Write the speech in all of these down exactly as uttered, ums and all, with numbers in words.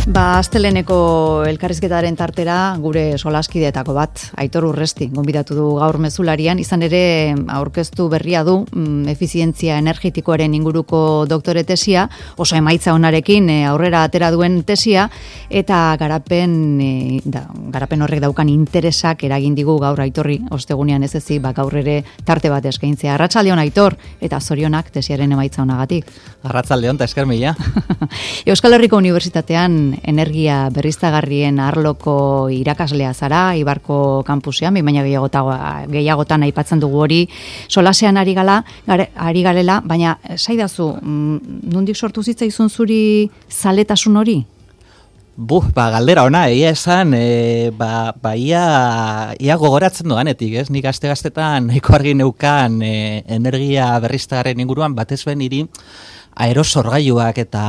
Ba, asteleneko elkarrizketaren tartera gure solaskideetako bat, Aitor Urresti, gonbidatu du gaur mezularian, izan ere aurkeztu berria du mm, efizientzia energetikoaren inguruko doktore tesia, oso emaitza onarekin e, aurrera atera duen tesia, eta garapen, e, da, garapen horrek daukan interesak eragin digu gaur Aitorri, ostegunean ez ezi, ba, gaur ere tarte bat eskaintzea. Arratsaldeon Aitor, eta zorionak tesiaren emaitza onagatik. Arratsaldeon, ta esker mila. Euskal Herriko Unibertsitatean energia berriztagarrien arloko irakaslea zara, Ibarko kampusean, baina gehiagotan aipatzen dugu hori, solasean ari gala, gare, ari garela, baina saidazu, nondik sortu zitzaizun zuri zaletasun hori? Buh, ba, galdera ona, egia esan, e, ba, ba ia, ia gogoratzen doanetik, ez? Nik aste-gaztetan nahiko argi neukan e, energia berriztagarrien inguruan, batez ben hiri, aerosorgailuak eta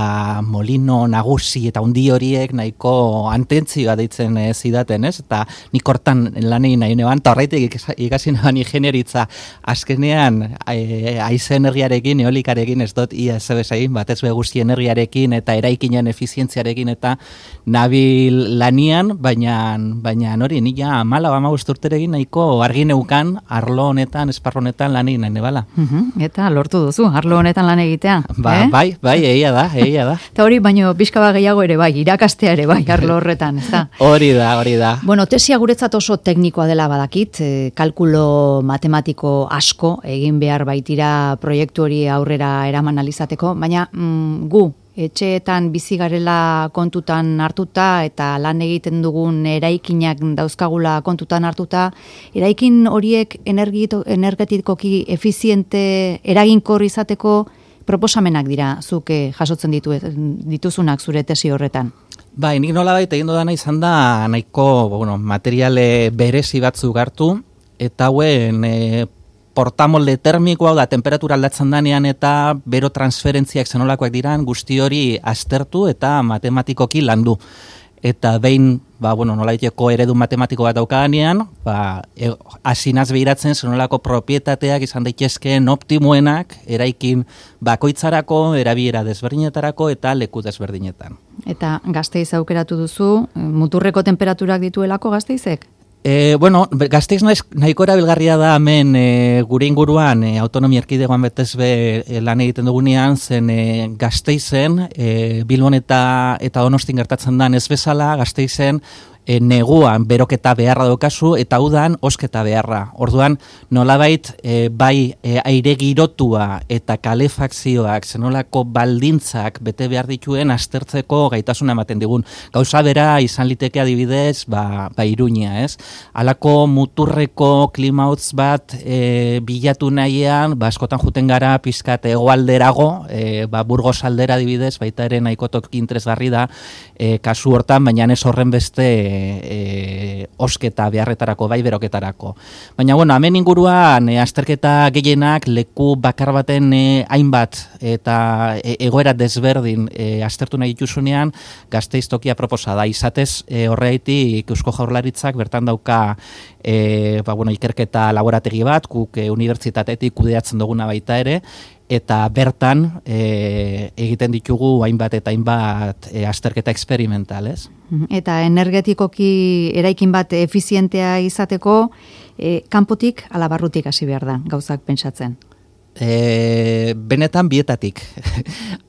molino nagusi eta hundi horiek nahiko antentzioa deitzen e, zidaten, ez? Eta nik hortan lan egin nahi neban, eta horreitik ikasi neban ingenieritza azkenean e, haize energiarekin, eolikarekin ez dut ia ez egin, batez be guzti energiarekin eta eraikinen efizientziarekin eta nabil lanian, baina baina hori nila mala bama guzturterekin nahiko argi neukan arlo honetan, esparro honetan lan egin nahi nebala. Uh-huh. Eta lortu duzu, arlo honetan lan egitea. Ba, Eh? Bai, bai, egia da, egia da. Eta hori, baino, bizkaba gehiago ere bai, irakastea ere bai, arlo horretan, ez da? Hori da, hori da. Bueno, tesia guretzat oso teknikoa dela badakit, e, kalkulo matematiko asko egin behar baitira proiektu hori aurrera eraman alizateko, baina mm, gu, etxeetan bizi garela kontutan hartuta eta lan egiten dugun eraikinak dauzkagula kontutan hartuta, eraikin horiek energetikoki efiziente eraginkor izateko proposamenak dira zuk jasotzen ditu, dituzunak zure tesi horretan. Bai, nik nolabait egin dudana izan da nahiko bueno, materiale berezi batzuk hartu, eta hauen e, portamolde termikoa da temperatura aldatzen danean eta bero transferentziak zenolakoak diran guzti hori aztertu eta matematikoki landu. Eta behin, ba, bueno, nolaiteko eredu matematiko bat daukaganean, ba, e, asinaz behiratzen zenolako propietateak izan daitezkeen optimoenak eraikin bakoitzarako, erabiera desberdinetarako eta leku desberdinetan. Eta Gasteiz aukeratu duzu, muturreko temperaturak dituelako Gasteizek? E, bueno, Gasteiz nahiko erabilgarria da hemen e, gure inguruan e, autonomia erkidegoan betez be e, lan egiten dugunean, zen e, Gasteizen, e, Bilbon eta, eta Donostin gertatzen da ez bezala, Gasteizen e, neguan beroketa beharra daukazu eta udan osketa beharra. Orduan, nolabait e, bai e, aire girotua eta kalefakzioak zenolako baldintzak bete behar dituen aztertzeko gaitasuna ematen digun. Gauza bera izan liteke adibidez, ba, ba Iruña, ez? Halako muturreko klimautz bat e, bilatu nahian, ba, askotan juten gara pizkat hegoalderago, e, ba, Burgos aldera adibidez, baita ere nahiko toki interesgarri da e, kasu hortan, baina ez horren beste E, osketa beharretarako, bai beroketarako. Baina, bueno, hemen inguruan e, azterketa gehienak leku bakar baten e, hainbat eta e, egoera desberdin e, aztertu nahi dituzunean Gasteiz tokia proposa da. Izatez e, horreitik Eusko Jaurlaritzak bertan dauka e, ba, bueno, ikerketa laborategi bat, guk e, unibertsitatetik kudeatzen duguna baita ere, eta bertan e, egiten ditugu hainbat eta hainbat e, azterketa experimental, ez? Eta energetikoki eraikin bat efizientea izateko, e, kanpotik ala barrutik hasi behar da, gauzak pentsatzen. E, benetan bietatik.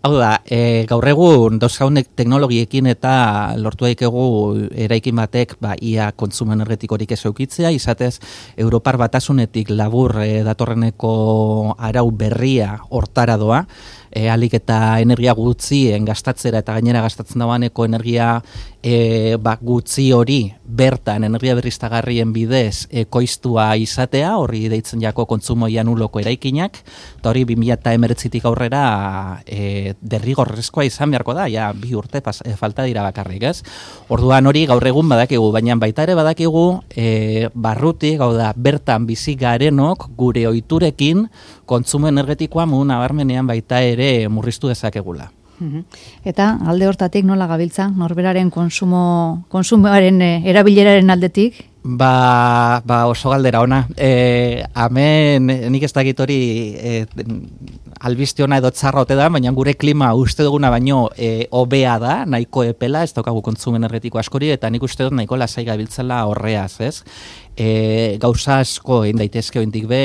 Hau da, e, gaur egun dauzkaunek teknologiekin eta lortu daikegu eraikin batek ba, ia kontsumo energetikorik ez eukitzea, izatez Europar Batasunetik labur e, datorreneko arau berria hortara doa, e, alik eta energia gutzien gastatzera eta gainera gastatzen dagoeneko energia e, ba, gutzi hori bertan energia berriztagarrien bidez ekoiztua izatea, horri deitzen jako kontsumoia nuloko eraikinak, eta hori bi mila hemeretzitik aurrera e, derrigorrezkoa izan beharko da, ja bi urte pas, e, falta dira bakarrik, ez? Orduan hori gaur egun badakigu, baina baita ere badakigu e, barrutik, hau da, bertan bizi garenok gure ohiturekin kontsumo energetikoa modu nabarmenean baita ere murriztu dezakegula. Eta alde hortatik nola gabiltza, norberaren konsumo, konsumoaren erabileraren aldetik, Ba, ba oso galdera ona. E, hemen nik ez dakit hori e, albiste ona edo txarra ote da, baina gure klima uste duguna baino e, hobea da, nahiko epela, ez daukagu kontsumo energetiko askori, eta nik uste dut nahiko lasai gabiltzela horreaz, ez? E, gauza asko egin daitezke oindik be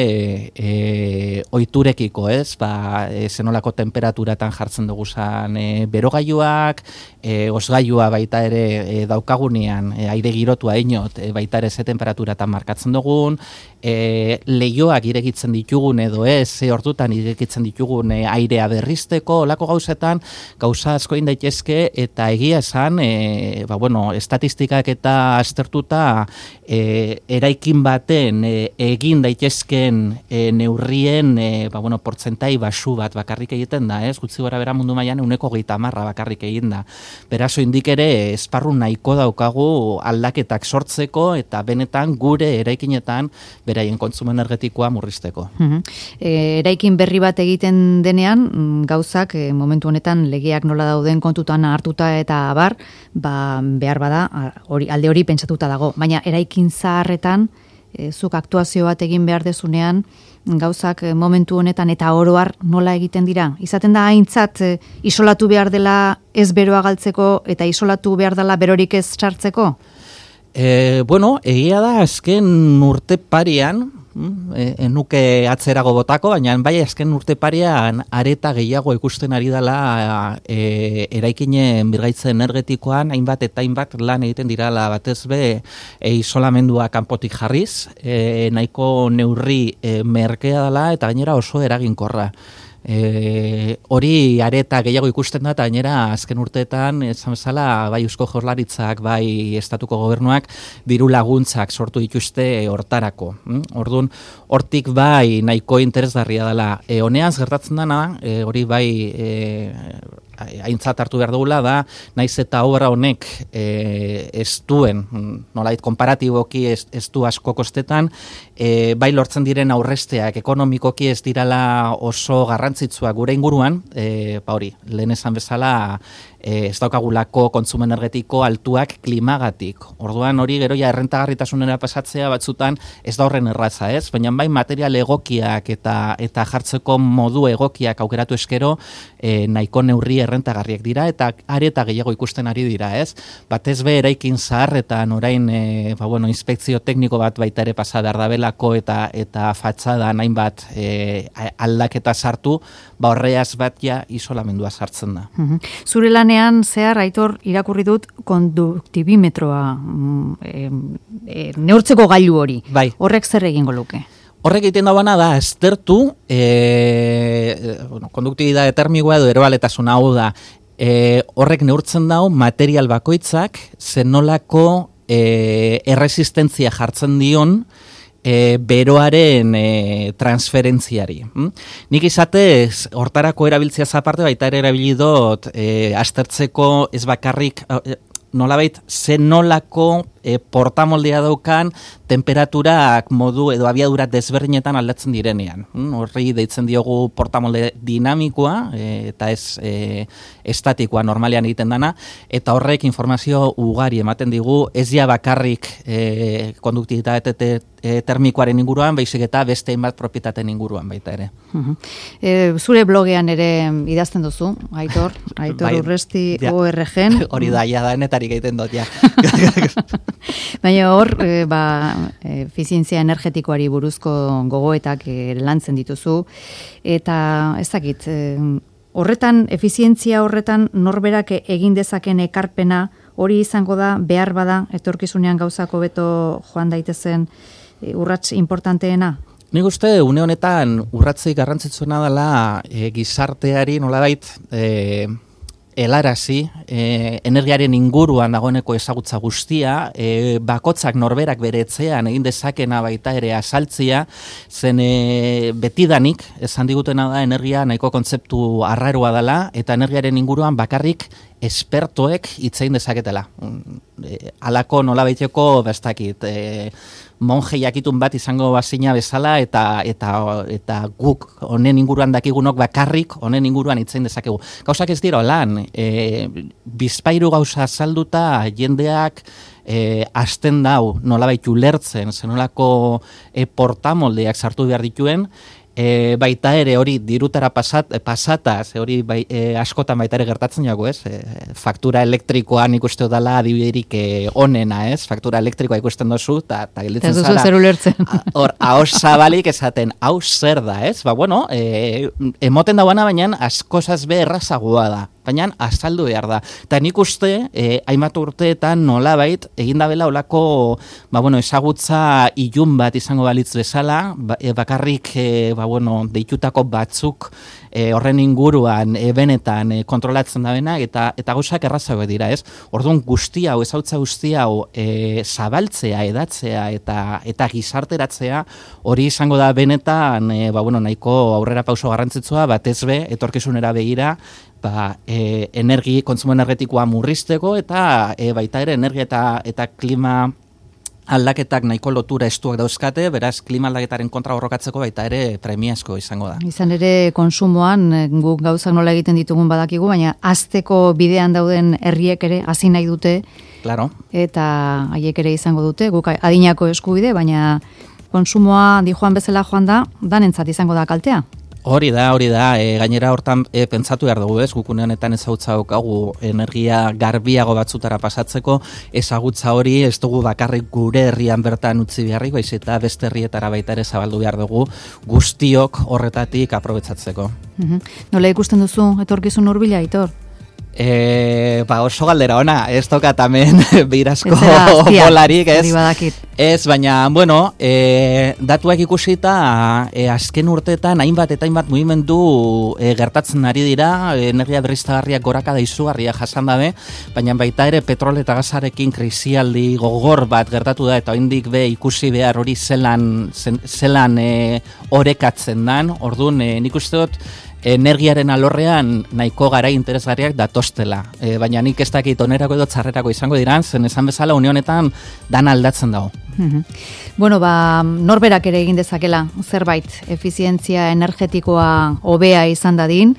e, ohiturekiko, ez? Ba, e, zenolako temperaturatan jartzen dugu zan e, berogailuak, e, osgailua baita ere e, daukagunean, e, aire girotua inot, e, baita ere ze temperaturatan markatzen dugun, e, lehioak irekitzen ditugun edo ez, ze ordutan irekitzen ditugun e, airea berrizteko, olako gauzetan, gauza asko egin daitezke, eta egia esan, e, ba, bueno, estatistikak eta aztertuta e, eraikin baten e, egin daitezken e, neurrien e, ba, bueno, portzentai basu bat bakarrik egiten da, ez? Gutxi gora bera mundu mailan ehuneko hogeita hamarra bakarrik egin da. Beraz, indik ere esparru nahiko daukagu aldaketak sortzeko eta benetan gure eraikinetan beraien kontsumo energetikoa murrizteko. Uh-huh. E, eraikin berri bat egiten denean, gauzak e, momentu honetan legeak nola dauden kontutan hartuta eta abar, ba, behar bada, hori, alde hori pentsatuta dago. Baina eraikin zaharretan, e, zuk aktuazio bat egin behar dezunean, gauzak e, momentu honetan eta oroar nola egiten dira. Izaten da haintzat e, isolatu behar dela ez beroa galtzeko eta isolatu behar dela berorik ez sartzeko? E, bueno, egia da azken urte parian, e, nuke atzerago botako, baina bai azken urte parian areta gehiago ikusten ari dela e, eraikinen birgaitze energetikoan, hainbat eta hainbat lan egiten dirala batez be e, isolamendua kanpotik jarriz, e, nahiko neurri e, merkea dela eta gainera oso eraginkorra. E, hori areta gehiago ikusten da, eta gainera azken urteetan esan bezala bai Eusko Jaurlaritzak bai estatuko gobernuak diru laguntzak sortu dituzte hortarako. Orduan, hortik bai nahiko interesgarria dela. E, honeaz gertatzen dana, e, hori bai e, aintzat hartu behar dugula da, naiz eta obra honek e, ez duen, nolait konparatiboki ez, ez du asko kostetan, e, bai lortzen diren aurresteak ekonomikoki ez dirala oso garrantzitsua gure inguruan, e, ba hori, lehen esan bezala e, ez daukagulako kontsumo energetiko altuak klimagatik. Orduan hori gero ja errentagarritasunera pasatzea batzutan ez da horren erraza, ez? Baina bai material egokiak eta eta jartzeko modu egokiak aukeratu eskero e, nahiko neurri errentagarriak dira eta areta gehiago ikusten ari dira, ez? Batez be eraikin zaharretan orain e, ba, bueno, inspekzio tekniko bat baita ere pasa behar dabelako eta eta fatxada hainbat e, aldaketa sartu, ba horreaz bat ja isolamendua sartzen da. Uh-huh. Zure lanean zehar, Aitor, irakurri dut konduktibimetroa e, e, neurtzeko gailu hori. Bai. Horrek zer egingo luke? Horrek egiten dagoena da, aztertu, e, bueno, konduktibidade termikoa edo eroaletasuna hau da, e, horrek neurtzen dau material bakoitzak zenolako e, erresistentzia jartzen dion e, beroaren e, transferentziari. Hm? Nik izatez, hortarako erabiltzea aparte baita ere erabilidot e, aztertzeko ez bakarrik e, nolabait zenolako e, portamoldea daukan temperaturak modu edo abiadura desberdinetan aldatzen direnean. Horri deitzen diogu portamolde dinamikoa e, eta ez e, estatikoa normalean egiten dana, eta horrek informazio ugari ematen digu, ez ja bakarrik e, konduktibitate e, termikoaren inguruan, baizik eta beste hainbat propietateen inguruan baita ere. Uh-huh. E, zure blogean ere idazten duzu, Aitor, Aitor bai, Urresti ja, O R G-en. Hori da, ja da, netarik egiten dut, ja. Baina hor, e, ba, efizientzia energetikoari buruzko gogoetak e, lantzen dituzu, eta ez dakit, e, horretan, efizientzia horretan norberak egin dezaken ekarpena hori izango da, behar bada, etorkizunean gauzako beto joan daitezen e, urrats importanteena? Nik uste, une honetan urratzik garrantzitsuena dela e, gizarteari nolabait e, helarazi, e, energiaren inguruan dagoeneko ezagutza guztia, e, bakotzak norberak bere etxean egin dezakena baita ere azaltzia, zen e, betidanik, esan digutena da, energia nahiko kontzeptu arraroa dela, eta energiaren inguruan bakarrik espertoek hitzein dezaketela. E, alako nolabaiteko bestakit, e, monje jakitun bat izango bazina bezala eta eta eta guk honen inguruan dakigunok bakarrik honen inguruan hitzein dezakegu. Gauzak ez dira lan, e, bizpairu gauza azalduta jendeak e, azten dau nolabait ulertzen, zenolako e, portamoldeak sartu behar dituen, E, baita ere hori dirutara pasat, pasataz, hori bai, e, askotan baita ere gertatzen jago, ez? E, faktura elektrikoa nik uste dela adibiderik e, onena, ez? Faktura elektrikoa ikusten dozu, eta gelditzen zara. Ez duzu zer ulertzen. Hor, haus zabalik esaten, hau zer da, ez? Ba, bueno, e, emoten dauana, baina askozaz be errazagoa da. Baina azaldu behar da. Eta nik uste, eh, hainbat urteetan nolabait, egin dabela olako, ba, bueno, ezagutza ilun bat izango balitz bezala, ba, e, bakarrik, e, ba, bueno, deitutako batzuk e, horren inguruan, e, benetan e, kontrolatzen da bena, eta, eta gauzak errazago dira, ez? Orduan guzti hau, ezautza guzti hau, e, zabaltzea, edatzea, eta, eta gizarteratzea, hori izango da benetan, e, ba, bueno, nahiko aurrera pauso garrantzitsua, batez be, etorkizunera begira, ba, e, energi, kontsumo energetikoa murrizteko eta e, baita ere energia eta, eta klima aldaketak nahiko lotura estuak dauzkate, beraz klima aldaketaren kontra borrokatzeko baita ere premiazko izango da. Izan ere konsumoan guk gauzak nola egiten ditugun badakigu, baina hasteko bidean dauden herriek ere hasi nahi dute. Claro. Eta haiek ere izango dute, guk adinako eskubide, baina konsumoa di joan bezala joan da, danentzat izango da kaltea. Hori da, hori da, e, gainera hortan e, pentsatu behar dugu, ez, gukune honetan ezagutza daukagu energia garbiago batzutara pasatzeko, ezagutza hori ez dugu bakarrik gure herrian bertan utzi beharrik, baiz eta beste herrietara baita ere zabaldu behar dugu guztiok horretatik aprobetsatzeko. Mm-hmm. Nola ikusten duzu etorkizun hurbila, Aitor? E, ba oso galdera ona, ez tokat hemen beirazko bolarik, ez? Ez, baina, bueno, e, datuak ikusita, e, azken urteetan hainbat eta hainbat mugimendu e, gertatzen ari dira, e, energia berriztagarriak goraka da izugarria jasan dabe, baina baita ere petrol eta gazarekin krisialdi gogor bat gertatu da, eta oraindik be ikusi behar hori zelan, zelan e, orekatzen dan, orduan, e, nik uste dut, energiaren alorrean nahiko gara interesgarriak datostela. E, baina nik ez dakit onerako edo txarrerako izango diran, zen esan bezala unionetan dan aldatzen dago. Mm-hmm. Bueno, ba, norberak ere egin dezakela zerbait efizientzia energetikoa hobea izan dadin,